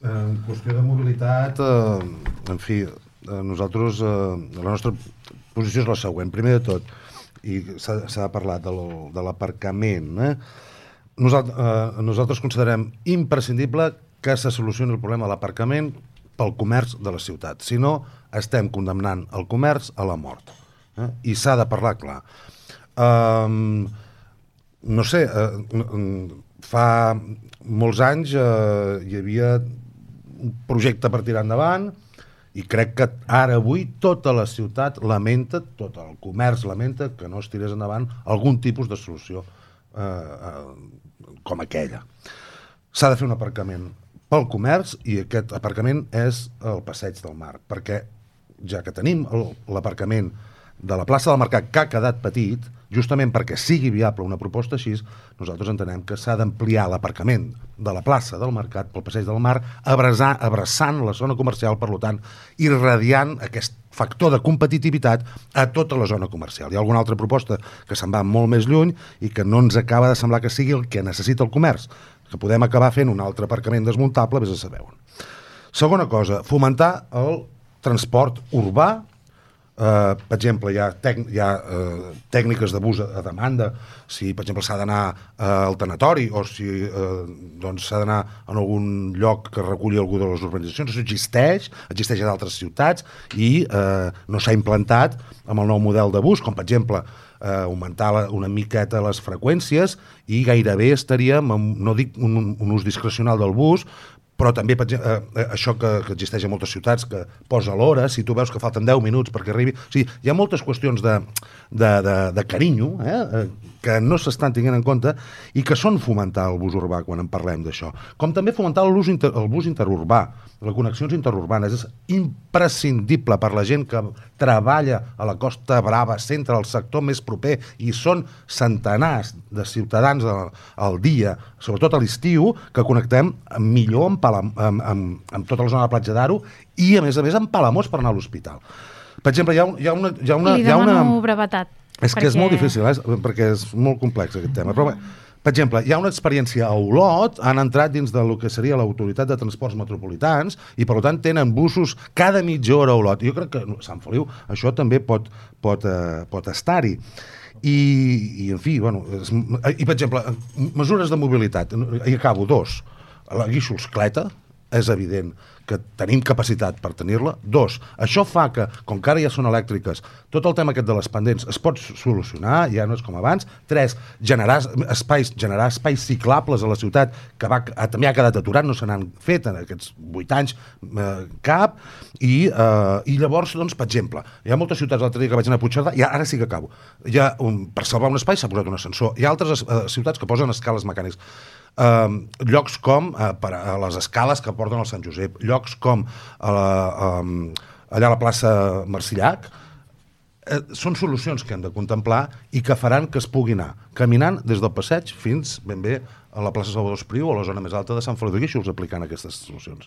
En qüestió de mobilitat, en fi, nosaltres, la nostra posició és la següent. Primer de tot, i s'ha parlat de l'aparcament, nosaltres considerem imprescindible que se solucioni el problema de l'aparcament pel comerç de la ciutat. Si no, estem condemnant el comerç a la mort. I s'ha de parlar clar. No sé, fa molts anys hi havia un projecte per tirar endavant i crec que ara avui tota la ciutat lamenta, tot el comerç lamenta que no es tirés endavant algun tipus de solució com aquella. S'ha de fer un aparcament pel comerç i aquest aparcament és el Passeig del Mar, perquè ja que tenim l'aparcament de la plaça del Mercat que ha quedat petit, justament perquè sigui viable una proposta així, nosaltres entenem que s'ha d'ampliar l'aparcament de la plaça del Mercat pel Passeig del Mar, abraçant la zona comercial, per tant, irradiant aquest factor de competitivitat a tota la zona comercial. Hi ha alguna altra proposta que se'n va molt més lluny i que no ens acaba de semblar que sigui el que necessita el comerç, que podem acabar fent un altre aparcament desmuntable, vés a saber on. Segona cosa, fomentar el transport urbà. Per exemple, hi ha tècniques de bus a demanda, si per exemple s'ha d'anar al tanatori o si s'ha d'anar a algun lloc que reculli algú de les urbanitzacions. Això existeix a d'altres ciutats i no s'ha implantat amb el nou model de bus, com per exemple augmentar una miqueta les freqüències i gairebé estaríem, no dic un ús discrecional del bus, però també això que existeix a moltes ciutats, que posa l'hora, si tu veus que falten 10 minuts perquè arribi... O sigui, hi ha moltes qüestions de carinyo que no s'estan tenint en compte i que són fomentar el bus urbà quan en parlem d'això. Com també fomentar el bus interurbà, les connexions interurbanes. És imprescindible per la gent que treballa a la Costa Brava, centre, al sector més proper, i són centenars de ciutadans al dia, sobretot a l'estiu, que connectem millor amb tota la zona de Platja d'Aro i, a més, amb Palamós per anar a l'hospital. Per exemple, hi ha una... Li demano brevetat. És que és molt difícil, perquè és molt complex aquest tema. Però, per exemple, hi ha una experiència a Olot, han entrat dins del que seria l'Autoritat de Transports Metropolitans i, per tant, tenen busos cada mitja hora a Olot. Jo crec que a Sant Feliu això també pot estar-hi. I, en fi, bueno... I, per exemple, mesures de mobilitat. I acabo, 2. La guixolscleta, és evident que tenim capacitat per tenir-la. 2, això fa que, com que ara ja són elèctriques, tot el tema aquest de les pendents es pot solucionar, ja no és com abans. 3, generar espais ciclables a la ciutat, que també ha quedat aturat, no se n'han fet en aquests 8 anys cap, i llavors, doncs, per exemple, hi ha moltes ciutats, l'altre dia que vaig anar a Puigcerdà, i ara sí que acabo, per salvar un espai s'ha posat un ascensor, hi ha altres ciutats que posen escales mecàniques. Llocs com a les escales que porten al Sant Josep, llocs com allà a la plaça Marcillac, són solucions que hem de contemplar i que faran que es pugui anar caminant des del passeig fins ben bé a la plaça Salvador Espriu o a la zona més alta de Sant Feliu de Guíxols aplicant aquestes solucions.